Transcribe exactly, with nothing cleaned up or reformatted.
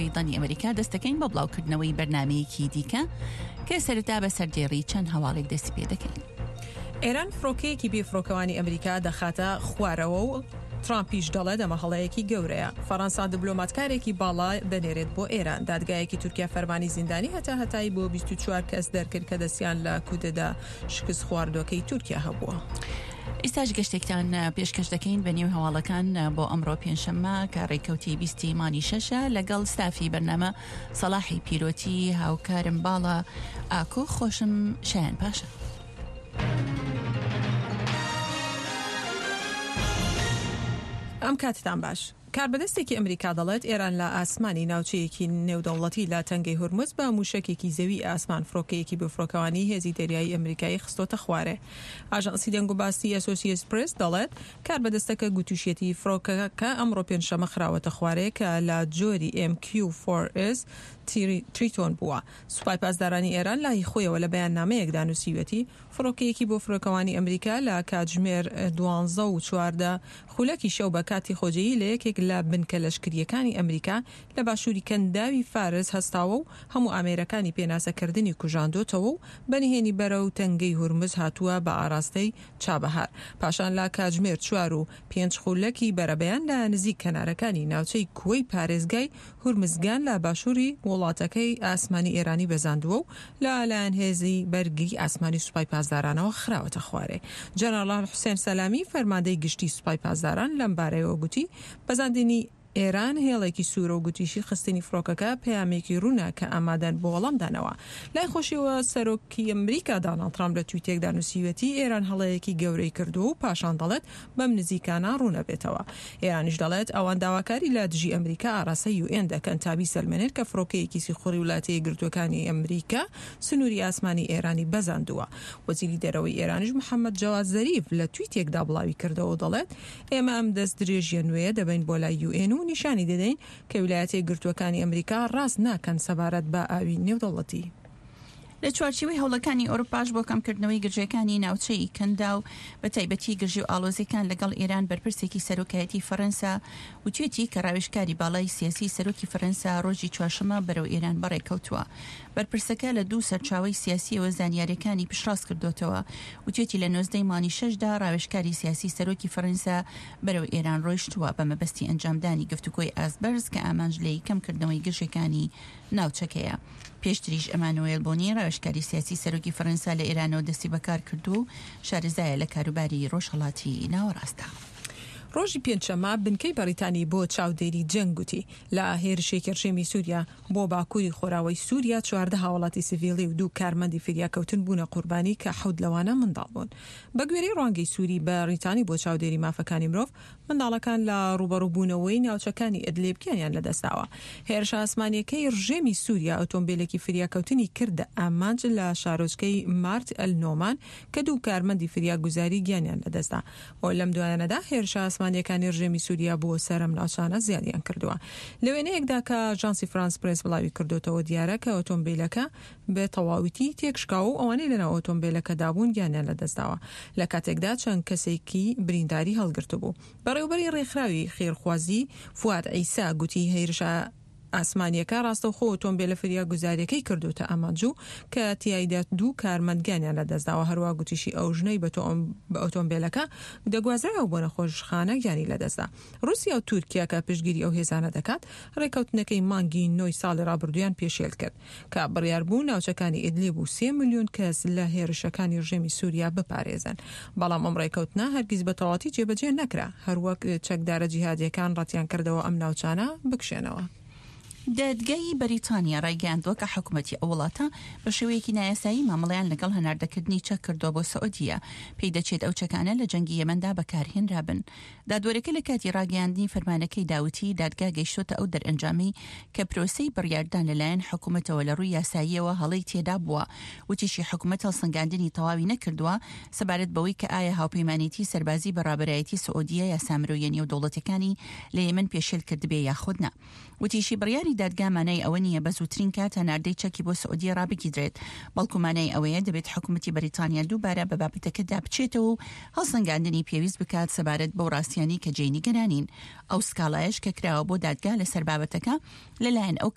ڕادیۆی دەنگی ئەمریکا دەست دەکەین بە بڵاوکردنەوەی بەرنامەیەکی دیکە کە سەرەتا بە سەردێڕی چەند هەواڵێک دەستی پێ دەکەین. ئێران فڕۆکەیەکی بێفڕۆکەوانی ئەمریکا دەخاتە خوارەوە و ترامپیش دەڵێت ئەمە هەڵەیەکی گەورەیە. فەڕەنسا دبلۆماتکارێکی باڵا دەنێرێت بۆ ئێران. دادگایەکی تورکیا فەرمانی زیندانی هەتا هەتایی بۆ بیست و چوار کەس دەرکرد کە دەستیان لە کودەدا شکست خواردووەکەی تورکیا هەبووە. ئێستاش گەشتێکتان پێشکەش دەکەین بە نێو هەواڵەکان بۆ ئەمڕۆ پێنجشەممە کە ڕێککەوتی بیستی مانگی شەشە لەگەڵ ستافی بەرنامە سەڵاحی پیرۆتی هاوکارم باڵا ئاکۆ خۆشم شایان پاشا. ئەم کاتتان باش. کاربەدەستێکی ئەمریکا دەڵێت ئێران لە ئاسمانی ناوچەیەکی نێودەوڵەتی لە تەنگەی هورمز بە موشەکێکی زەوی ئاسمان فڕۆکەیەکی بێفڕۆکەوانی هێزی دەریایی ئەمریکایی خستۆتە خوارێ. ئاژانسی دەنگوباسی ئەسۆسیەتد پرێس دەڵێت کاربەدەستەکە گوتوشیەتی فڕۆکەکە ئەمڕۆ پێنجشەممە خراوەتە خوارێ کە لە جۆری ئێم کیو فۆر ئێس تریتۆن بووە. سوپای پاسدارانی ئێران لای خۆیەوە لە بەیاننامەیەکدا نووسیویەتی فڕۆکەیەکی بۆ فڕۆکەوانی ئەمریکا لە کاتژمێر دوانزە و چواردە خولەکی شەو بە کاتی خۆجێیی لە یەکێک لە بنکە لەشکرییەکانی ئەمریکا لە باشووری کەنداوی فارس هەستاوە و هەموو ئامێرەکانی پێناسەکردنی کوژاندۆتەوە و بەنهێنی بەرەو تەنگەی هورمز هاتووە بە ئاراستەی چابەهار. پاشان لە کاتژمێر چوار و پێنج خولەکی بەرەبەیان لە نزیک کەنارەکانی ناوچەی کوەی پارێزگای هورمزگان لە باشووری وڵاتەکەی ئاسمانی ئێرانی بەزاندووە و لە لایەن هێزی بەرگری ئاسمانی سوپای پاسدارانەوە خراوەتە خوارێ. جەنەڕاڵ حوسێن سەلامی فەرماندەی گشتی سوپای پاسداران لەم بارەیەوە گوتی بەزاندنی ئێران هێڵێکی سوورە و گوتیشی خستنی فڕۆکەکە پەیامێکی ڕوونە کە ئامادەن بۆ وەڵامدانەوە. لای خۆشیەوە سەرۆکی ئەمریکا داناڵد ترامپ لە تویتێکدا نووسیویەتی ئێران هەڵەیەکی گەورەی کردووە و پاشان دەڵێت بەم نزیکانە ڕوونەبێتەوە. ئێرانیش دەڵێت ئەوان داواکاری لە دژی ئەمریکا ئاراستەی یو ئێن دەکەن تا بیسەلمێنێت کە فڕۆکەیەکی سیخوڕی وڵاتە یەکگرتووەکانی ئەمریکا سنووری ئاسمانی ئێرانی بەزاندووە. وەزیری دەرەوەی ئێرانیش محەممەد جەواد زەریف لە تویتێکدا بڵاوی کردەوە و دەڵێت ئێمە ئەم دەست درێژیە نوێیە دەبەین بۆ لای یو ئێن و نیشانی دەدەین کە ویلایەتە یەکگرتووەکانی ئەمریکا ڕاست ناکەن سەبارەت بە ئاوی نێودەوڵەتی. لە چوارچێوەی هەوڵەکانی ئەوروپاش بۆ کەمکردنەوەی گرژیەکانی ناوچەی کەنداو بە تایبەتی گرژی و ئاڵۆزیەکان لەگەڵ ئێران، بەرپرسێکی سەرۆکایەتی فەرەنسا وتوێتی کە ڕاوێژکاری باڵای سیاسی سەرۆکی فەرەنسا ڕۆژی چوارشەممە بەرەو ئێران بەڕێکەوتووە. بەرپرسەکە لە دوو سەرچاوەی سیاسیەوە زانیاریەکانی پشتڕاست کردوتەوە. وتوێتی لە نۆزدەی مانگی شەشدا ڕاوێژکاری سیاسی سەرۆکی فەرەنسا بەرەو ئێران ڕۆیشتووە بە مەبەستی ئەنجامدانی گفتوگۆی ئاستبەرز کە ئامانج لێی کەمکردنەوەی گرژیەکانی ناوچەکەیە. پێشتریش ئەمانوێل بۆنی ڕاوێژکاری سیاسی سەرۆکی فەرەنسا لە ئێرانەوە دەستی بەکار کردووە و شارەزایە لە کاروباری ڕۆژهەڵاتی ناوەڕاستدا. ڕۆژی پێنجشەممە بنکەی بەریتانی بۆ چاودێری جەنگ گوتی لە هێرشێکی ڕژێمی سووریا بۆ باکووری خۆراوەی سووریا چواردە هاوڵاتی سیڤیلی و دوو کارمەندی فریاکەوتن بوونە قوربانی کە حەوت لەوانە منداڵ بوون. بە گوێرەی ڕوانگەی سووری بەریتانی بۆ چاودێری مافەکانی مرۆڤ، منداڵەکان لە ڕووبەڕووبوونەوەی ناوچەکانی ئەدلیب گیانیان لەدەستداوە. هێرشە ئاسمانیەکەی ڕژێمی سووریا ئۆتۆمبیلێکی فریاکەوتنی کردە ئامانج لە شارۆچکەی مارت ئەلنۆمان کە دوو کارمەندی فریاگوزاری گیانیان لەدەستدا. و لەم دوایانەدا هێرشە ئاسمانیەکانی ڕژێمی سووریا بۆ سەر ئەم ناوچانە زیادیان کردووە. لە وێنەیەکدا کە ئاژانسی فرانس پرێس بڵاوی کردوتەوە دیارە کە ئۆتۆمبیلەکە بە تەواویتی تێکشکاوە و ئەوانەی لەناو ئۆتۆمبیلەکەدا بوون گیانیان لەدەستداوە، لە کاتێکدا چەند کەسێکی برینداری هەڵگرتبوو. بەڕێوەبەری ڕێکخراوی خێرخوازی فواد عیسا گوتی هێرشە ئاسمانیەکە ڕاستەوخۆ ئۆتۆمبیلە فریاگوزاریەکەی کردوتە ئامانج و کە تیایدا دوو کارمەند گیانیان لەدەستداوە. هەروە گوتیشی ئەو ژنەی بە ئۆتۆمبیلەکە دەگوازرایەوە بۆ نەخۆشخانە گیانی لەدەستدا. رووسیا و تورکیا کە پشتگیری ئەو هێزانە دەکات ڕێککەوتنەکەی مانگی نۆی ساڵی ڕابردوویان پێشێل کرد کە بڕیار بوو ناوچەکانی ئیدلیب و سێ ملیۆن کەس لە هێرشەکانی ڕژێمی سووریا بپارێزن. بەڵام ئەم ڕێککەوتنە هەرگیز بە تەواوەتی جێبەجێ نەکرا، هەروەک چەکدارە جیهادیەکان ڕەتیان کردەوە ئەم ناوچانە بکشێنەوە. دادگای بەریتانیا ڕایگەیاندووە کە حکوومەتی ئەو وڵاتە بە شێوەیەکی نایاسایی مامەڵەیان لەگەڵ هەناردەکردنی چەک کردووە بۆ سعودیە. پێی دەچێت ئەو چەکانە لە جەنگی یەمەندا بەکارهێنرابن. دادوەرەکە لە کاتی ڕاگەیاندنی فەرمانەکەی داوتی دادگا گەیشتۆتە ئەو دەرئەنجامەی کە پرۆسەی بڕیاردان لەلایەن حکوومەتەوە لە ڕووی یاساییەوە هەڵەی تێدا بووە. وتیشی حکوومەت هەڵسەنگاندنی تەواوی نەکردووە سەبارەت بەوەی کە ئایا هاوپەیمانێتی سەربازی بە ڕابەرایەتی سعودیە یاسا مرۆییە نێودەوڵەتیەکانی لە یەمەن پێشێل کردبێ یاخود نا. وتیشی بڕیاری دادگا مانای ئەوە نییە بە زووترین کات هەناردەی چەکی بۆ سعودیە ڕابگیرێت، بەڵکو مانای ئەوەیە دەبێت حکوومەتی بەریتانیا دووبارە بە بابەتەکەدا بچێتەوە و هەڵسەنگاندنی پێویست بکات سەبارەت بەو ڕاستیانەی کە جێی نیگەرانین. ئەو سکاڵایەش کە کراوە بۆ دادگا لەسەر بابەتەکە لەلایەن ئەو